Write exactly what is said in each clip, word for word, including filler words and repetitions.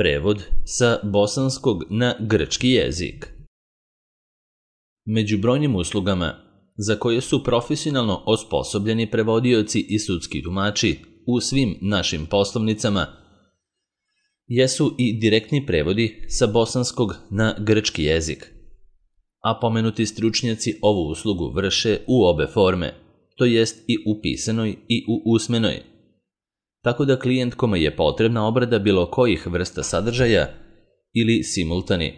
Prevod sa bosanskog na grčki jezik. Među brojnim uslugama za koje su profesionalno osposobljeni prevodioci i sudski tumači u svim našim poslovnicama jesu i direktni prevodi sa bosanskog na grčki jezik. A pomenuti stručnjaci ovu uslugu vrše u obe forme, to jest i u pisanoj i u usmenoj. Tako da klijent kome je potrebna obrada bilo kojih vrsta sadržaja ili simultani,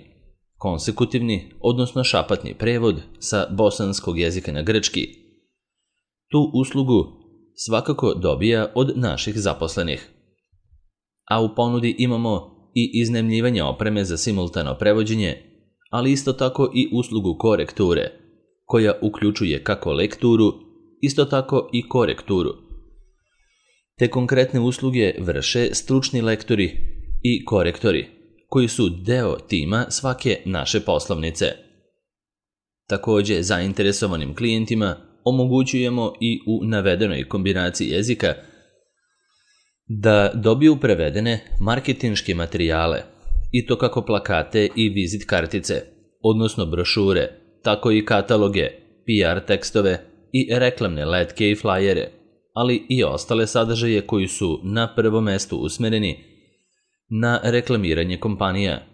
konsekutivni, odnosno šapatni prevod sa bosanskog jezika na grčki, tu uslugu svakako dobija od naših zaposlenih. A u ponudi imamo i iznajmljivanje opreme za simultano prevođenje, ali isto tako i uslugu korekture, koja uključuje kako lekturu, isto tako i korekturu. Te konkretne usluge vrše stručni lektori i korektori, koji su deo tima svake naše poslovnice. Takođe, zainteresovanim klijentima omogućujemo i u navedenoj kombinaciji jezika da dobiju prevedene marketinške materijale, i to kako plakate i vizit kartice, odnosno brošure, tako i kataloge, P R tekstove i reklamne letke i flajere, ali i ostale sadržaje koji su na prvom mestu usmereni na reklamiranje kompanija,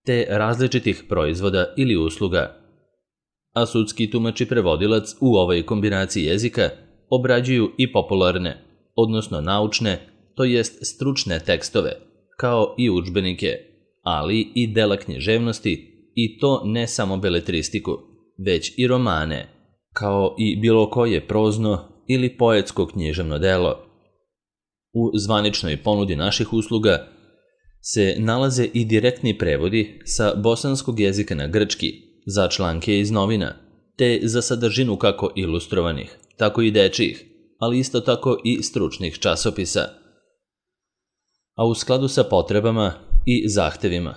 te različitih proizvoda ili usluga. A sudski tumač i prevodilac u ovoj kombinaciji jezika obrađuju i popularne, odnosno naučne, to jest stručne tekstove, kao i udžbenike, ali i dela književnosti, i to ne samo beletristiku, već i romane, kao i bilo koje prozno ili poetsko književno delo. U zvaničnoj ponudi naših usluga se nalaze i direktni prevodi sa bosanskog jezika na grčki za članke iz novina, te za sadržinu kako ilustrovanih, tako i dečijih, ali isto tako i stručnih časopisa. A u skladu sa potrebama i zahtevima,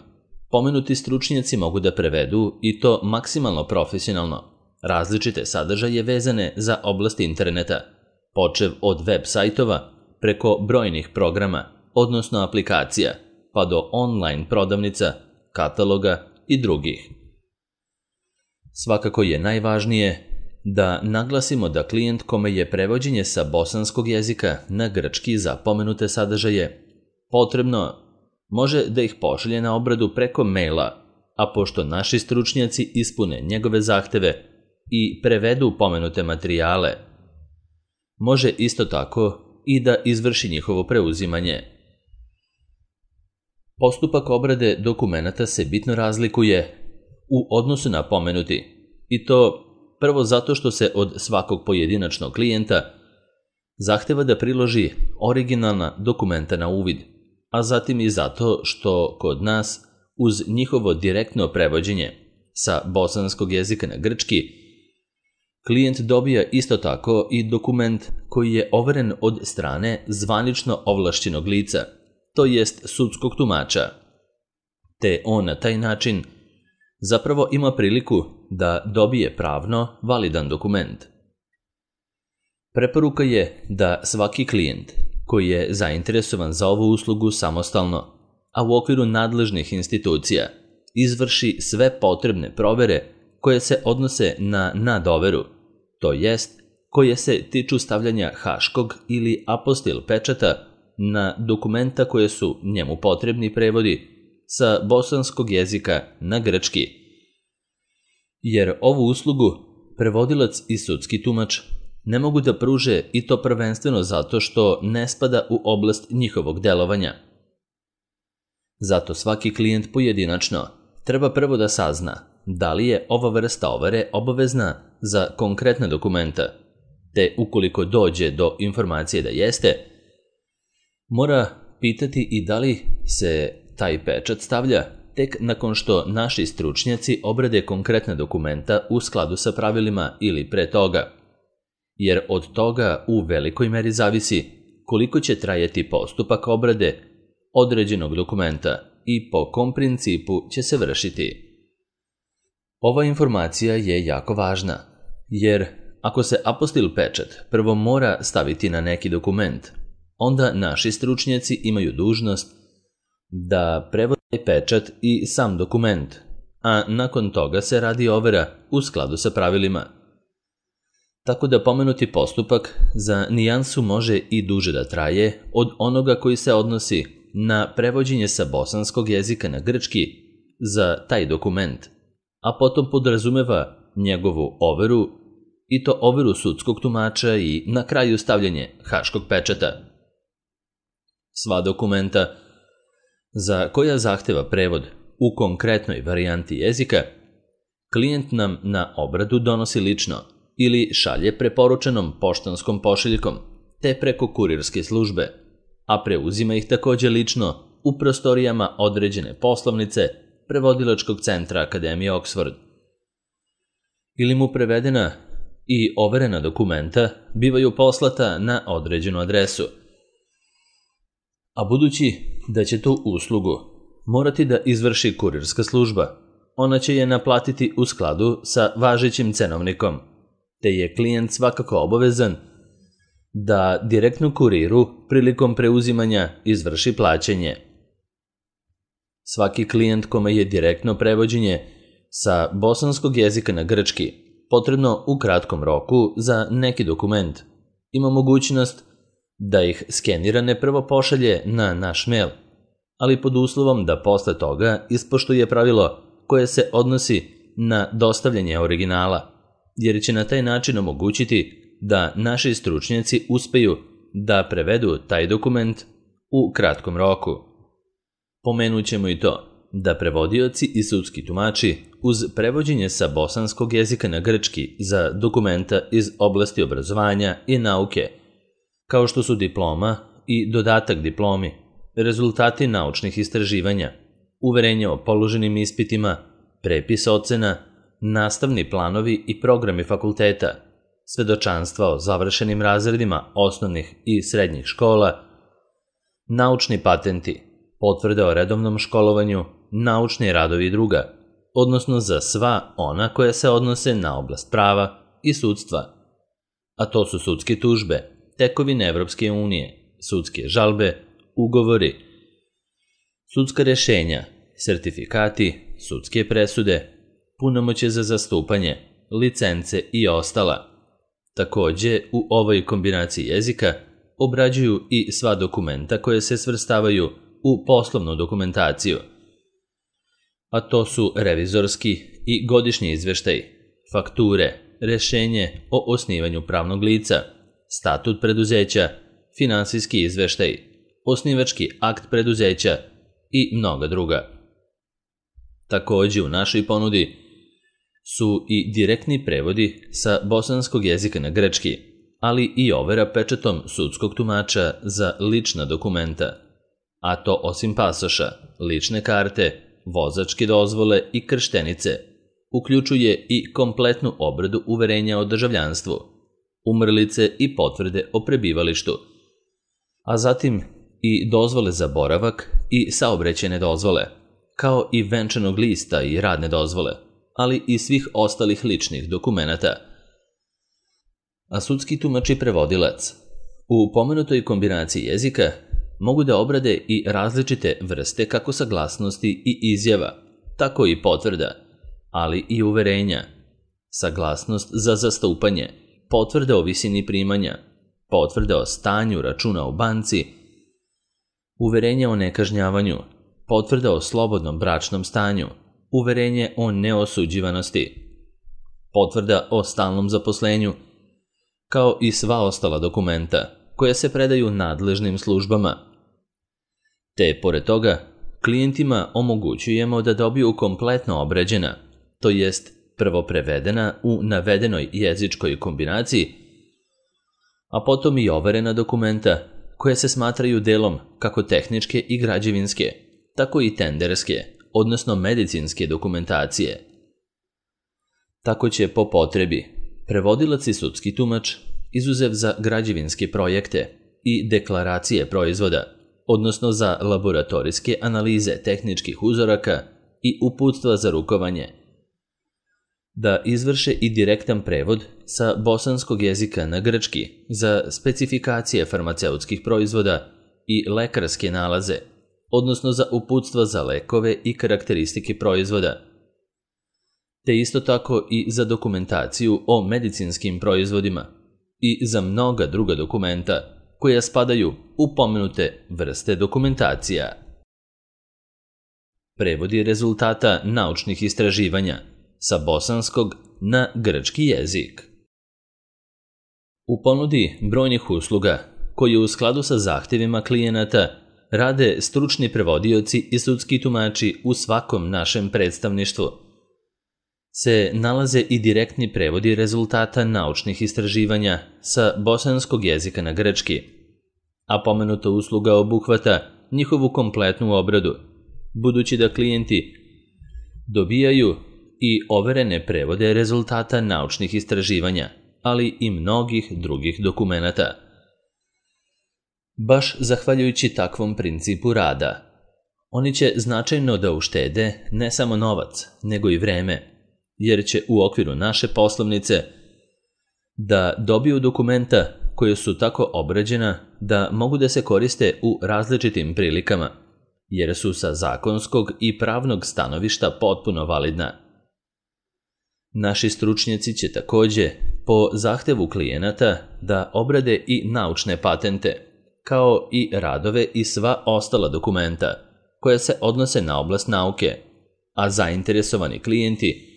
pomenuti stručnjaci mogu da prevedu, i to maksimalno profesionalno, različite sadržaje vezane za oblast interneta, počev od web sajtova preko brojnih programa, odnosno aplikacija, pa do online prodavnica, kataloga i drugih. Svakako je najvažnije da naglasimo da klijent kome je prevođenje sa bosanskog jezika na grčki za pomenute sadržaje potrebno, može da ih pošalje na obradu preko maila, a pošto naši stručnjaci ispune njegove zahteve i prevedu pomenute materijale, može isto tako i da izvrši njihovo preuzimanje. Postupak obrade dokumenata se bitno razlikuje u odnosu na pomenuti, i to prvo zato što se od svakog pojedinačnog klijenta zahteva da priloži originalna dokumenta na uvid, a zatim i zato što kod nas uz njihovo direktno prevođenje sa bosanskog jezika na grčki, klijent dobija isto tako i dokument koji je overen od strane zvanično ovlašćenog lica, to jest sudskog tumača, te on na taj način zapravo ima priliku da dobije pravno validan dokument. Preporuka je da svaki klijent koji je zainteresovan za ovu uslugu samostalno, a u okviru nadležnih institucija, izvrši sve potrebne provere koje se odnose na nadoveru, to jest koje se tiču stavljanja haškog ili apostil pečata na dokumenta koje su njemu potrebni prevodi sa bosanskog jezika na grčki. Jer ovu uslugu prevodilac i sudski tumač ne mogu da pruže, i to prvenstveno zato što ne spada u oblast njihovog delovanja. Zato svaki klijent pojedinačno treba prvo da sazna da li je ova vrsta overe obavezna za konkretna dokumenta, te ukoliko dođe do informacije da jeste, mora pitati i da li se taj pečat stavlja tek nakon što naši stručnjaci obrade konkretna dokumenta u skladu sa pravilima ili pre toga, jer od toga u velikoj meri zavisi koliko će trajati postupak obrade određenog dokumenta i po kom principu će se vršiti. Ova informacija je jako važna, jer ako se apostil pečat prvo mora staviti na neki dokument, onda naši stručnjaci imaju dužnost da prevode pečat i sam dokument, a nakon toga se radi overa u skladu sa pravilima. Tako da pomenuti postupak za nijansu može i duže da traje od onoga koji se odnosi na prevođenje sa bosanskog jezika na grčki za taj dokument, a potom podrazumeva njegovu overu i to overu sudskog tumača i na kraju stavljanje haškog pečata. Sva dokumenta za koja zahteva prevod u konkretnoj varijanti jezika, klijent nam na obradu donosi lično ili šalje preporučenom poštanskom pošiljkom, te preko kurirske službe, a preuzima ih takođe lično u prostorijama određene poslovnice Prevodilačkog centra Akademije Oxford. Ili mu prevedena i overena dokumenta bivaju poslata na određenu adresu. A budući da će tu uslugu morati da izvrši kurirska služba, ona će je naplatiti u skladu sa važećim cenovnikom, te je klijent svakako obavezan da direktno kuriru prilikom preuzimanja izvrši plaćanje. Svaki klijent kome je direktno prevođenje sa bosanskog jezika na grčki potrebno u kratkom roku za neki dokument ima mogućnost da ih skenirane prvo pošalje na naš mail, ali pod uslovom da posle toga ispoštuje pravilo koje se odnosi na dostavljanje originala, jer će na taj način omogućiti da naši stručnjaci uspeju da prevedu taj dokument u kratkom roku. Pomenut ćemo i to da prevodioci i sudski tumači uz prevođenje sa bosanskog jezika na grčki za dokumenta iz oblasti obrazovanja i nauke, kao što su diploma i dodatak diplomi, rezultati naučnih istraživanja, uverenje o položenim ispitima, prepis ocena, nastavni planovi i programi fakulteta, svedočanstva o završenim razredima osnovnih i srednjih škola, naučni patenti, potvrde o redovnom školovanju, naučni radovi i druga, odnosno za sva ona koja se odnose na oblast prava i sudstva, a to su sudske tužbe, tekovine Evropske unije, sudske žalbe, ugovori, sudska rešenja, sertifikati, sudske presude, punomoćje za zastupanje, licence i ostala. Takođe, u ovoj kombinaciji jezika obrađuju i sva dokumenta koje se svrstavaju u poslovnu dokumentaciju, a to su revizorski i godišnji izveštaj, fakture, rešenje o osnivanju pravnog lica, statut preduzeća, finansijski izveštaj, osnivački akt preduzeća i mnoga druga. Takođe u našoj ponudi su i direktni prevodi sa bosanskog jezika na grčki, ali i overa pečatom sudskog tumača za lična dokumenta, a to osim pasoša, lične karte, vozačke dozvole i krštenice, uključuje i kompletnu obradu uverenja o državljanstvu, umrlice i potvrde o prebivalištu, a zatim i dozvole za boravak i saobraćajne dozvole, kao i venčanog lista i radne dozvole, ali i svih ostalih ličnih dokumenata. A sudski tumač i prevodilac u pomenutoj kombinaciji jezika mogu da obrade i različite vrste kako saglasnosti i izjava, tako i potvrda, ali i uverenja, saglasnost za zastupanje, potvrda o visini primanja, potvrda o stanju računa u banci, uverenje o nekažnjavanju, potvrda o slobodnom bračnom stanju, uverenje o neosuđivanosti, potvrda o stalnom zaposlenju, kao i sva ostala dokumenta koja se predaju nadležnim službama. Te, pored toga, klijentima omogućujemo da dobiju kompletno obrađena, to jest prvo prevedena u navedenoj jezičkoj kombinaciji, a potom i overena dokumenta koje se smatraju delom kako tehničke i građevinske, tako i tenderske, odnosno medicinske dokumentacije. Tako će po potrebi prevodilac i sudski tumač, izuzev za građevinske projekte i deklaracije proizvoda, odnosno za laboratorijske analize tehničkih uzoraka i uputstva za rukovanje, da izvrše i direktan prevod sa bosanskog jezika na grčki za specifikacije farmaceutskih proizvoda i lekarske nalaze, odnosno za uputstva za lekove i karakteristike proizvoda, te isto tako i za dokumentaciju o medicinskim proizvodima i za mnoga druga dokumenta koja spadaju u pomenute vrste dokumentacija. Prevodi rezultata naučnih istraživanja sa bosanskog na grčki jezik. U ponudi brojnih usluga koje u skladu sa zahtjevima klijenata rade stručni prevodioci i sudski tumači u svakom našem predstavništvu, se nalaze i direktni prevodi rezultata naučnih istraživanja sa bosanskog jezika na grčki, a pomenuta usluga obuhvata njihovu kompletnu obradu, budući da klijenti dobijaju i overene prevode rezultata naučnih istraživanja, ali i mnogih drugih dokumenata. Baš zahvaljujući takvom principu rada, oni će značajno da uštede ne samo novac, nego i vreme, jer će u okviru naše poslovnice da dobiju dokumenta koje su tako obrađena da mogu da se koriste u različitim prilikama, jer su sa zakonskog i pravnog stanovišta potpuno validna. Naši stručnjaci će takođe po zahtevu klijenata da obrade i naučne patente, kao i radove i sva ostala dokumenta koja se odnose na oblast nauke, a zainteresovani klijenti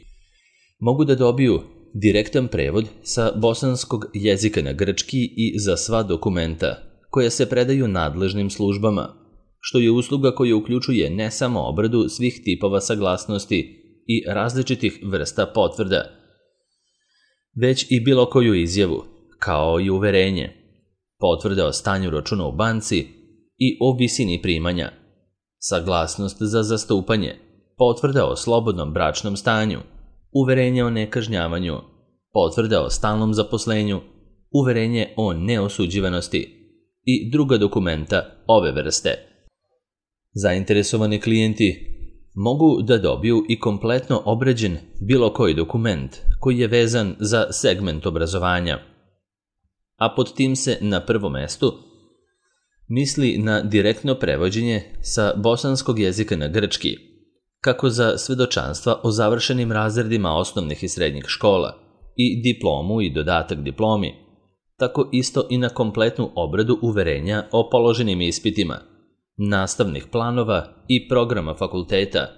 mogu da dobiju direktan prevod sa bosanskog jezika na grčki i za sva dokumenta koja se predaju nadležnim službama, što je usluga koja uključuje ne samo obradu svih tipova saglasnosti i različitih vrsta potvrda, već i bilo koju izjavu, kao i uverenje, potvrde o stanju računa u banci i o visini primanja, saglasnost za zastupanje, potvrda o slobodnom bračnom stanju, uverenje o nekažnjavanju, potvrda o stalnom zaposlenju, uverenje o neosuđivanosti i druga dokumenta ove vrste. Zainteresovani klijenti mogu da dobiju i kompletno obrađen bilo koji dokument koji je vezan za segment obrazovanja, a pod tim se na prvom mestu misli na direktno prevođenje sa bosanskog jezika na grčki, kako za svedočanstva o završenim razredima osnovnih i srednjih škola i diplomu i dodatak diplomi, tako isto i na kompletnu obradu uverenja o položenim ispitima, nastavnih planova i programa fakulteta,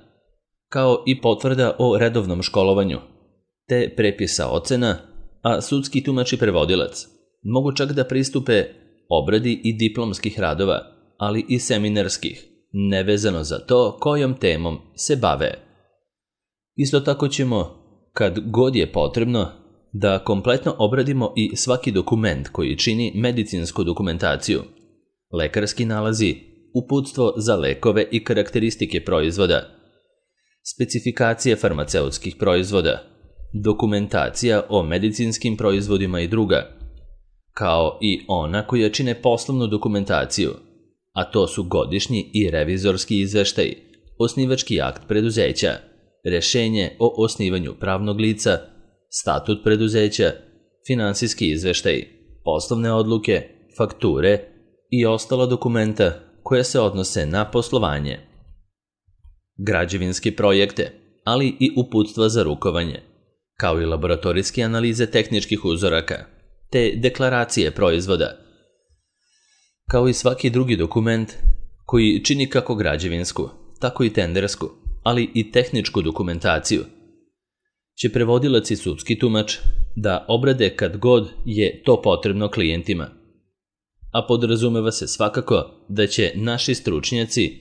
kao i potvrda o redovnom školovanju, te prepisa ocena, a sudski tumač i prevodilac mogu čak da pristupe obradi i diplomskih radova, ali i seminarskih, nevezano za to kojom temom se bave. Isto tako ćemo, kad god je potrebno, da kompletno obradimo i svaki dokument koji čini medicinsku dokumentaciju, lekarski nalazi, uputstvo za lekove i karakteristike proizvoda, specifikacije farmaceutskih proizvoda, dokumentacija o medicinskim proizvodima i druga, kao i ona koja čine poslovnu dokumentaciju, a to su godišnji i revizorski izveštaj, osnivački akt preduzeća, rešenje o osnivanju pravnog lica, statut preduzeća, finansijski izveštaj, poslovne odluke, fakture i ostala dokumenta koja se odnose na poslovanje. Građevinske projekte, ali i uputstva za rukovanje, kao i laboratorijske analize tehničkih uzoraka, te deklaracije proizvoda, kao i svaki drugi dokument koji čini kako građevinsku, tako i tendersku, ali i tehničku dokumentaciju, će prevodilac i sudski tumač da obrade kad god je to potrebno klijentima, a podrazumeva se svakako da će naši stručnjaci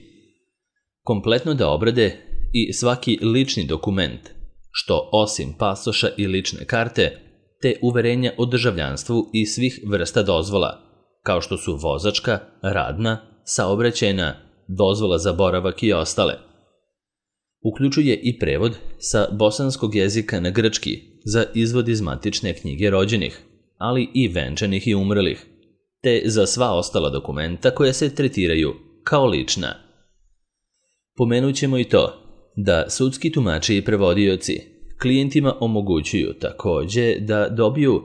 kompletno da obrade i svaki lični dokument, što osim pasoša i lične karte, te uverenja o državljanstvu i svih vrsta dozvola, kao što su vozačka, radna, saobraćajna, dozvola za boravak i ostale. Uključuje i prevod sa bosanskog jezika na grčki za izvod iz matične knjige rođenih, ali i venčanih i umrlih, te za sva ostala dokumenta koja se tretiraju kao lična. Pomenut ćemo i to da sudski tumači i prevodioci klijentima omogućuju takođe da dobiju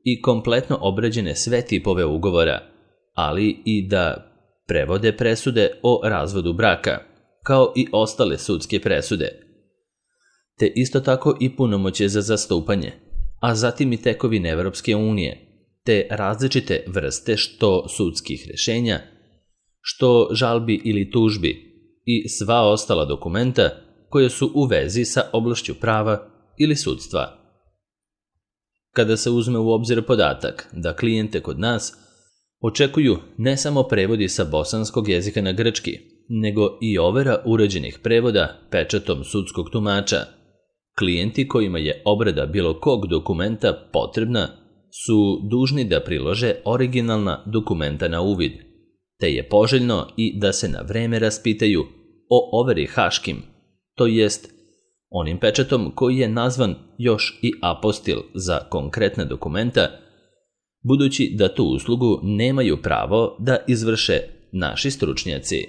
i kompletno obrađene sve tipove ugovora, ali i da prevode presude o razvodu braka, kao i ostale sudske presude, te isto tako i punomoćje za zastupanje, a zatim i tekovine Evropske unije, te različite vrste što sudskih rješenja, što žalbi ili tužbi i sva ostala dokumenta koje su u vezi sa oblašću prava ili sudstva. Kada se uzme u obzir podatak da klijente kod nas očekuju ne samo prevodi sa bosanskog jezika na grčki, nego i overa uređenih prevoda pečatom sudskog tumača, klijenti kojima je obrada bilo kog dokumenta potrebna su dužni da prilože originalna dokumenta na uvid, te je poželjno i da se na vreme raspitaju o overi haškim, to jest onim pečatom koji je nazvan još i apostil za konkretne dokumenta, budući da tu uslugu nemaju pravo da izvrše naši stručnjaci.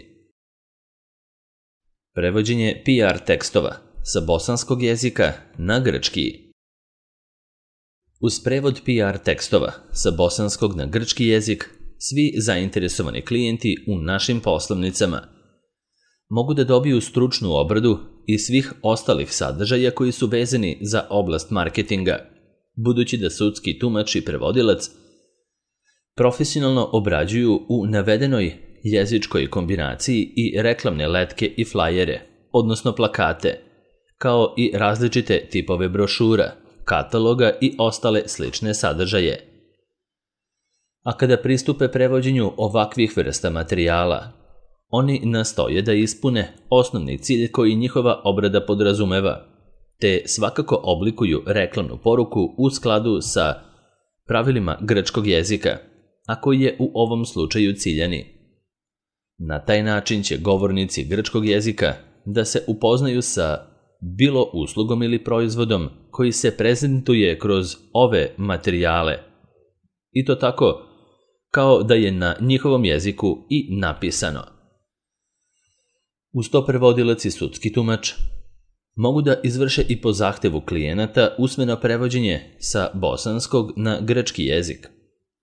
Prevođenje P R tekstova sa bosanskog jezika na grčki. Uz prevod P R tekstova sa bosanskog na grčki jezik, svi zainteresovani klijenti u našim poslovnicama mogu da dobiju stručnu obradu i svih ostalih sadržaja koji su vezani za oblast marketinga, budući da sudski tumač i prevodilac profesionalno obrađuju u navedenoj jezičkoj kombinaciji i reklamne letke i flajere, odnosno plakate, kao i različite tipove brošura, kataloga i ostale slične sadržaje. A kada pristupe prevođenju ovakvih vrsta materijala, oni nastoje da ispune osnovni cilj koji njihova obrada podrazumeva, te svakako oblikuju reklamnu poruku u skladu sa pravilima grčkog jezika, a koji je u ovom slučaju ciljani. Na taj način će govornici grčkog jezika da se upoznaju sa bilo uslugom ili proizvodom koji se prezentuje kroz ove materijale, i to tako kao da je na njihovom jeziku i napisano. Uz to prevodilac i sudski tumač mogu da izvrše i po zahtevu klijenata usmeno prevođenje sa bosanskog na grčki jezik,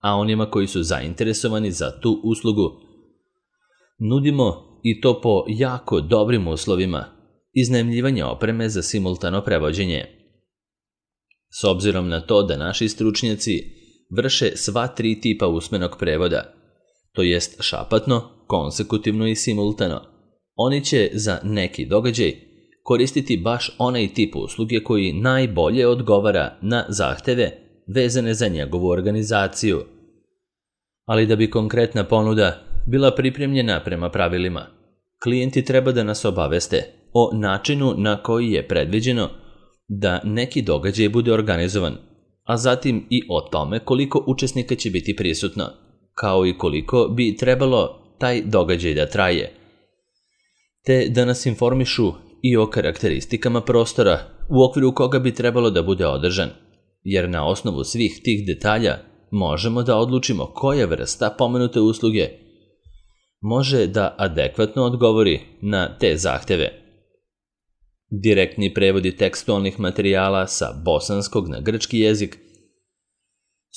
a onima koji su zainteresovani za tu uslugu nudimo i to po jako dobrim uslovima iznajmljivanje opreme za simultano prevođenje. S obzirom na to da naši stručnjaci vrše sva tri tipa usmenog prevoda, to jest šapatno, konsekutivno i simultano, oni će za neki događaj koristiti baš onaj tip usluge koji najbolje odgovara na zahteve vezane za njegovu organizaciju. Ali da bi konkretna ponuda bila pripremljena prema pravilima, klijenti treba da nas obaveste o načinu na koji je predviđeno da neki događaj bude organizovan, a zatim i o tome koliko učesnika će biti prisutno, kao i koliko bi trebalo taj događaj da traje, te da nas informišu i o karakteristikama prostora u okviru koga bi trebalo da bude održan, jer na osnovu svih tih detalja možemo da odlučimo koja vrsta pomenute usluge može da adekvatno odgovori na te zahteve. Direktni prevodi tekstualnih materijala sa bosanskog na grčki jezik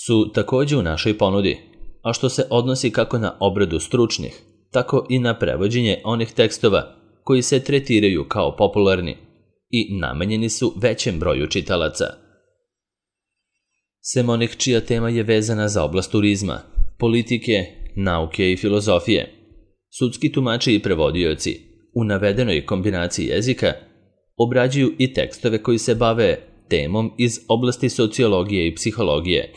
su također u našoj ponudi, a što se odnosi kako na obradu stručnih, tako i na prevođenje onih tekstova koji se tretiraju kao popularni i namenjeni su većem broju čitalaca. Sem onih čija tema je vezana za oblast turizma, politike, nauke i filozofije, sudski tumači i prevodioci u navedenoj kombinaciji jezika obrađuju i tekstove koji se bave temom iz oblasti sociologije i psihologije,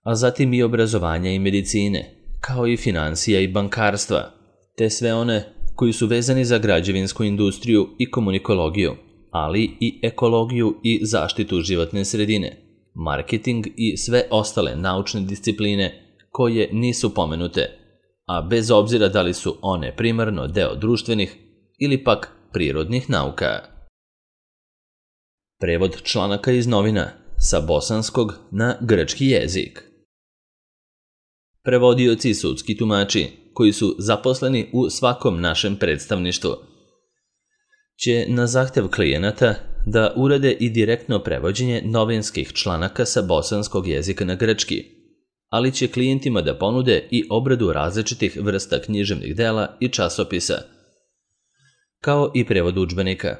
a zatim i obrazovanja i medicine, kao i financija i bankarstva, te sve one koji su vezani za građevinsku industriju i komunikologiju, ali i ekologiju i zaštitu životne sredine, marketing i sve ostale naučne discipline koje nisu pomenute, a bez obzira da li su one primarno deo društvenih ili pak prirodnih nauka. Prevod članaka iz novina sa bosanskog na grčki jezik. Prevodioci i sudski tumači koji su zaposleni u svakom našem predstavništvu će na zahtev klijenata da urade i direktno prevođenje novinskih članaka sa bosanskog jezika na grčki, ali će klijentima da ponude i obradu različitih vrsta književnih dela i časopisa, kao i prevod udžbenika.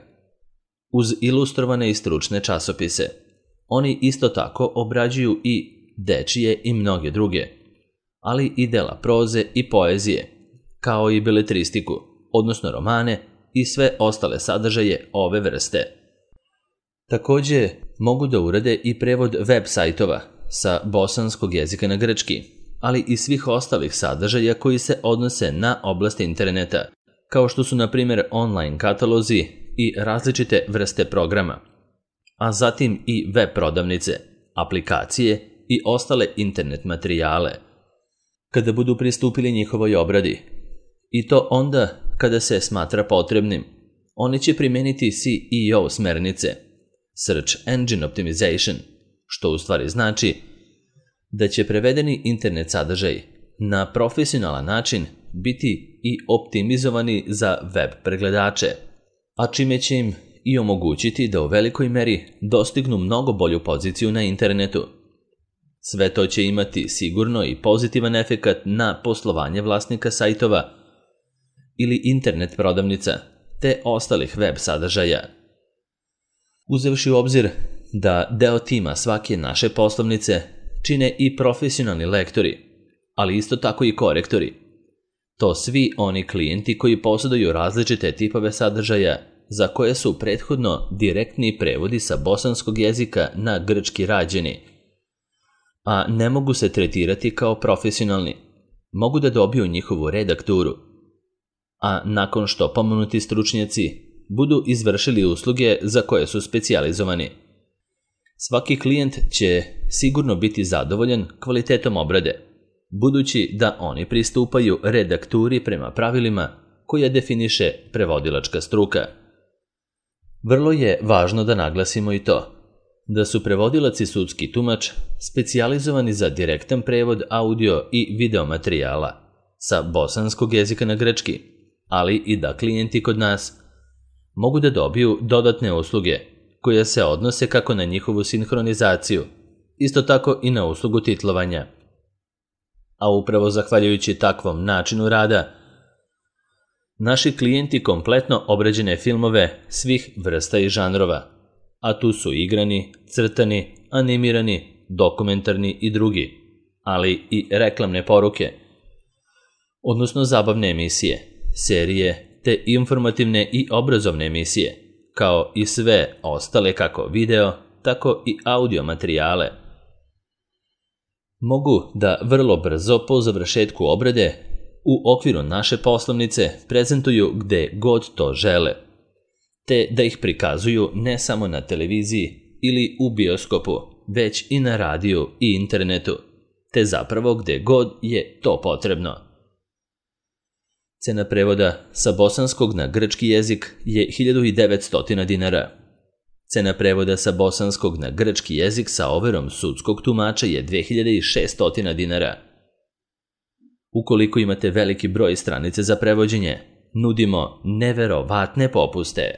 Uz ilustrovane i stručne časopise, oni isto tako obrađuju i dečije i mnoge druge, ali i dela proze i poezije, kao i beletristiku, odnosno romane i sve ostale sadržaje ove vrste. Također mogu da urade i prevod web sajtova sa bosanskog jezika na grčki, ali i svih ostalih sadržaja koji se odnose na oblast interneta, kao što su na primjer online katalozi i različite vrste programa, a zatim i web prodavnice, aplikacije i ostale internet materijale, kada budu pristupili njihovoj obradi. I to onda kada se smatra potrebnim. Oni će primeniti C E O smernice, Search Engine Optimization, što u stvari znači da će prevedeni internet sadržaj na profesionalan način biti i optimizovani za web pregledače, a čime će im i omogućiti da u velikoj meri dostignu mnogo bolju poziciju na internetu. Sve to će imati sigurno i pozitivan efekat na poslovanje vlasnika sajtova ili internet prodavnica, te ostalih web sadržaja. Uzevši u obzir da deo tima svake naše poslovnice čine i profesionalni lektori, ali isto tako i korektori. To svi oni klijenti koji posjeduju različite tipove sadržaja za koje su prethodno direktni prevodi sa bosanskog jezika na grčki rađeni, a ne mogu se tretirati kao profesionalni, mogu da dobiju njihovu redakturu, a nakon što pomenuti stručnjaci budu izvršili usluge za koje su specijalizovani. Svaki klijent će sigurno biti zadovoljan kvalitetom obrade, budući da oni pristupaju redakturi prema pravilima koja definiše prevodilačka struka. Vrlo je važno da naglasimo i to, da su prevodilac i sudski tumač specijalizovani za direktan prevod audio i video materijala sa bosanskog jezika na grčki, ali i da klijenti kod nas mogu da dobiju dodatne usluge koje se odnose kako na njihovu sinhronizaciju, isto tako i na uslugu titlovanja. A upravo zahvaljujući takvom načinu rada, naši klijenti kompletno obrađene filmove svih vrsta i žanrova, a tu su igrani, crtani, animirani, dokumentarni i drugi, ali i reklamne poruke, odnosno zabavne emisije, serije te informativne i obrazovne emisije, kao i sve ostale kako video, tako i audio materijale. Mogu da vrlo brzo po završetku obrade u okviru naše poslovnice prezentuju gde god to žele, te da ih prikazuju ne samo na televiziji ili u bioskopu, već i na radiju i internetu, te zapravo gde god je to potrebno. Cena prevoda sa bosanskog na grčki jezik je hiljadu devetsto dinara. Cena prevoda sa bosanskog na grčki jezik sa overom sudskog tumača je dve hiljade šesto dinara. Ukoliko imate veliki broj stranice za prevođenje, nudimo neverovatne popuste.